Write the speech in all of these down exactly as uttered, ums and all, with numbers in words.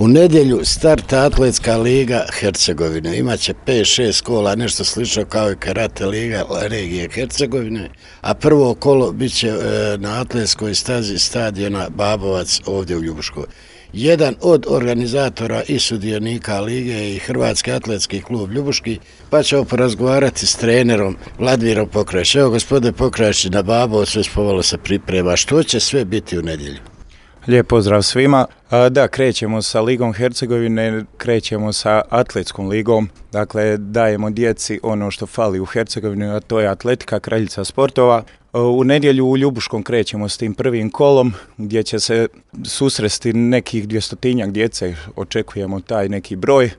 U nedjelju starta Atletska liga Hercegovine. Imaće pet šest kola, nešto slično kao i Karate liga regije Hercegovine, a prvo kolo bit će na atletskoj stazi stadiona Babovac ovdje u Ljubuškoj. Jedan od organizatora i sudionika lige je i Hrvatski atletski klub Ljubuški, pa ćemo porazgovarati s trenerom Vladimirom Pokrajić. Evo, gospodine Pokrajić, na Babovcu već povalo se priprema. Što će sve biti u nedjelju? Lijep pozdrav svima. Da, krećemo sa Ligom Hercegovine, krećemo sa Atletskom ligom. Dakle, dajemo djeci ono što fali u Hercegovini, a to je atletika, kraljica sportova. U nedjelju u Ljubuškom krećemo s tim prvim kolom, gdje će se susresti nekih dvjestotinjak djece, očekujemo taj neki broj,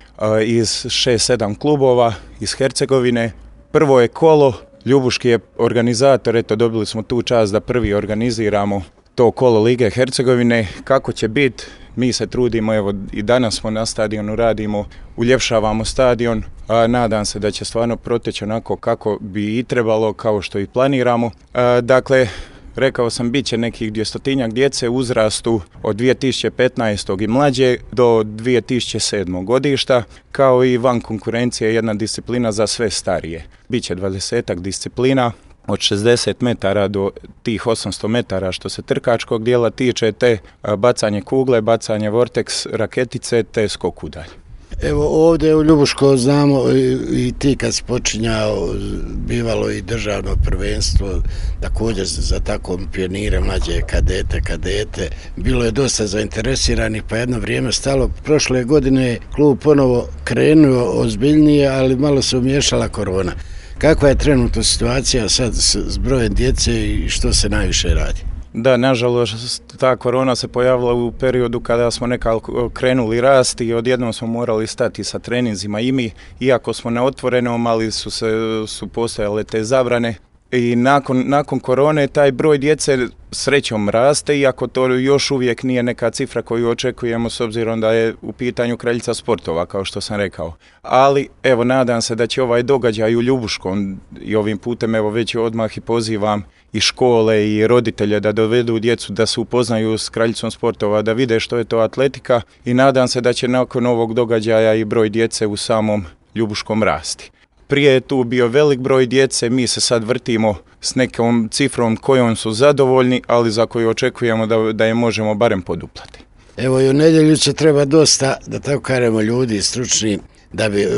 iz šest sedam klubova iz Hercegovine. Prvo je kolo, Ljubuški je organizator, eto dobili smo tu čast da prvi organiziramo to kolo Lige Hercegovine. Kako će biti, mi se trudimo, evo i danas smo na stadionu, radimo, uljepšavamo stadion, a nadam se da će stvarno proteći onako kako bi i trebalo, kao što i planiramo. A, dakle, rekao sam, bit će nekih dvjestotinjak djece u uzrastu od dvije tisuće petnaeste. i mlađe do dvije tisuće sedmog. godišta, kao i van konkurencije jedna disciplina za sve starije. Biće dvadesetak disciplina, od šezdeset metara do tih osamsto metara što se trkačkog dijela tiče, te bacanje kugle, bacanje vorteks, raketice, te skok udalj. Evo ovdje u Ljubuško znamo i, i ti kad si počinjao bivalo i državno prvenstvo, također za tako pionire, mlađe kadete, kadete. Bilo je dosta zainteresiranih, pa jedno vrijeme stalo. Prošle godine je klub ponovo krenuo ozbiljnije, ali malo se umiješala korona. Kakva je trenutno situacija sad s brojem djece i što se najviše radi? Da, nažalost, ta korona se pojavila u periodu kada smo nekako krenuli rasti i odjednom smo morali stati sa treninzima i mi, iako smo na otvorenom, ali su, se, su postojale te zabrane. I nakon, nakon korone taj broj djece srećom raste, iako to još uvijek nije neka cifra koju očekujemo s obzirom da je u pitanju kraljica sportova, kao što sam rekao. Ali evo, nadam se da će ovaj događaj u Ljubuškom, i ovim putem evo već odmah i pozivam i škole i roditelje da dovedu djecu da se upoznaju s kraljicom sportova, da vide što je to atletika, i nadam se da će nakon ovog događaja i broj djece u samom Ljubuškom rasti. Prije je tu bio velik broj djece, mi se sad vrtimo s nekom cifrom kojom su zadovoljni, ali za koju očekujemo da, da je možemo barem poduplati. Evo, i u nedjelju će treba dosta, da tako kažemo, ljudi stručni, da bi uh,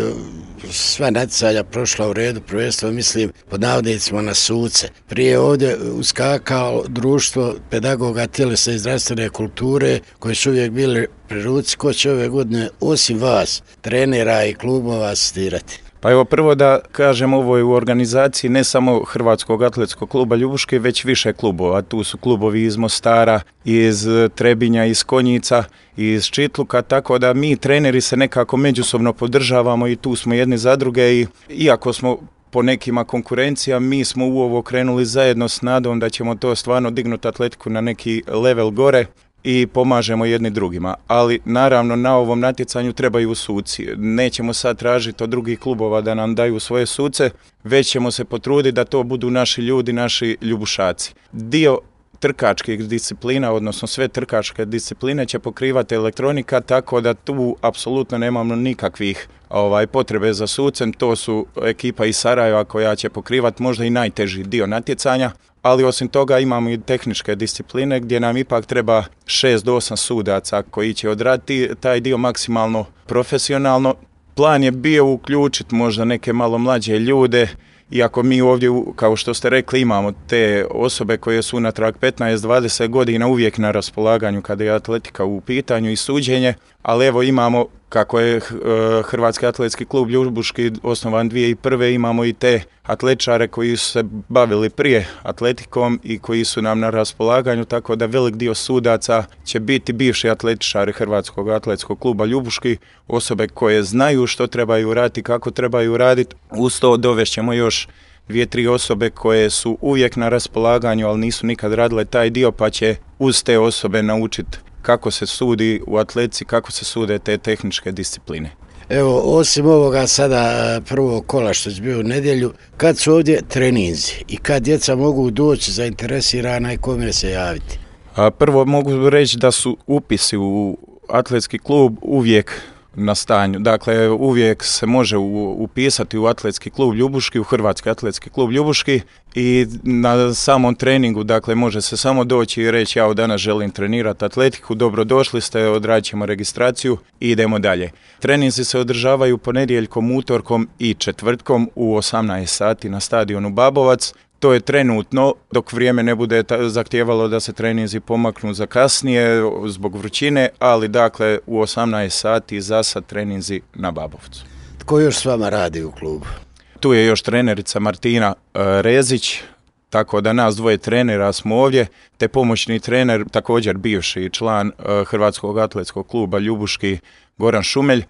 sva natjecanja prošla u redu, prvenstveno mislim pod navodnicima na suce. Prije ovdje uskakao društvo pedagoga tjelesne i zdravstvene kulture, koji su uvijek bili pri ruci. Ko će ove godine, osim vas, trenera i klubova, asistirati? Pa evo, prvo da kažem, ovo je u organizaciji ne samo Hrvatskog atletskog kluba Ljubuške, već više klubova. Tu su klubovi iz Mostara, iz Trebinja, iz Konjica, iz Čitluka, tako da mi treneri se nekako međusobno podržavamo i tu smo jedni za druge, i iako smo po nekima konkurencija, mi smo u ovo krenuli zajedno s nadom da ćemo to stvarno dignuti atletiku na neki level gore i pomažemo jedni drugima. Ali naravno na ovom natjecanju trebaju suci. Nećemo sad tražiti od drugih klubova da nam daju svoje suce, već ćemo se potruditi da to budu naši ljudi, naši ljubušaci. Dio trkačkih disciplina, odnosno sve trkačke discipline će pokrivati elektronika, tako da tu apsolutno nemamo nikakvih ovaj, potrebe za sucem. To su ekipa iz Sarajeva koja će pokrivati možda i najteži dio natjecanja, ali osim toga imamo i tehničke discipline gdje nam ipak treba šest do osam sudaca koji će odraditi taj dio maksimalno profesionalno. Plan je bio uključiti možda neke malo mlađe ljude, iako mi ovdje, kao što ste rekli, imamo te osobe koje su unatrag petnaest dvadeset godina uvijek na raspolaganju kada je atletika u pitanju i suđenje, ali evo imamo, kako je Hrvatski atletski klub Ljubuški osnovan dvije tisuće prve. imamo i te atletičare koji su se bavili prije atletikom i koji su nam na raspolaganju, tako da velik dio sudaca će biti bivši atletičari Hrvatskog atletskog kluba Ljubuški, osobe koje znaju što trebaju raditi, kako trebaju raditi. Uz to dovešćemo još dvije, tri osobe koje su uvijek na raspolaganju, ali nisu nikad radile taj dio, pa će uz te osobe naučiti kako se sudi u atletici, kako se sude te tehničke discipline. Evo, osim ovoga sada prvog kola što će biti u nedjelju, kad su ovdje treninzi i kad djeca mogu doći zainteresirana i kome se javiti? A prvo mogu reći da su upisi u atletski klub uvijek na stanju. Dakle, uvijek se može u, upisati u atletski klub Ljubuški, u Hrvatski atletski klub Ljubuški i na samom treningu, dakle, može se samo doći i reći ja danas želim trenirati atletiku, dobrodošli ste, odradit ćemo registraciju i idemo dalje. Treninzi se održavaju ponedjeljkom, utorkom i četvrtkom u osamnaest sati na stadionu Babovac. To je trenutno, dok vrijeme ne bude zahtijevalo da se treninzi pomaknu za kasnije zbog vrućine, ali dakle u osamnaest sati za sad treninzi na Babovcu. Tko još s vama radi u klubu? Tu je još trenerica Martina Rezić, tako da nas dvoje trenera smo ovdje, te pomoćni trener, također bivši član Hrvatskog atletskog kluba Ljubuški, Goran Šumelj.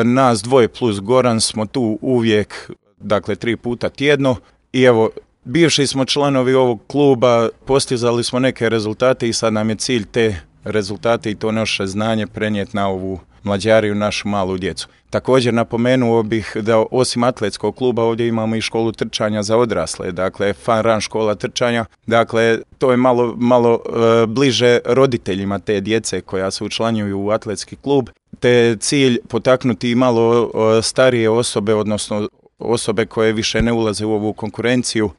Nas dvoje plus Goran smo tu uvijek, dakle tri puta tjedno i evo, bivši smo članovi ovog kluba, postizali smo neke rezultate i sad nam je cilj te rezultate i to naše znanje prenijeti na ovu mlađariju, našu malu djecu. Također napomenuo bih da osim atletskog kluba ovdje imamo i školu trčanja za odrasle, dakle Fun Run škola trčanja, dakle to je malo, malo e, bliže roditeljima te djece koja se učlanjuju u atletski klub, te je cilj potaknuti malo e, starije osobe, odnosno osobe koje više ne ulaze u ovu konkurenciju,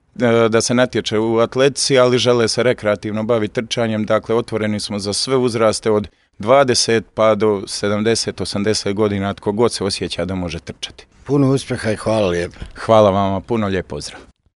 da se natječe u atletici, ali žele se rekreativno baviti trčanjem. Dakle, otvoreni smo za sve uzraste od dvadeset pa do sedamdeset osamdeset godina, tko god se osjeća da može trčati. Puno uspjeha i hvala lijepo. Hvala vama, puno lijep pozdrav.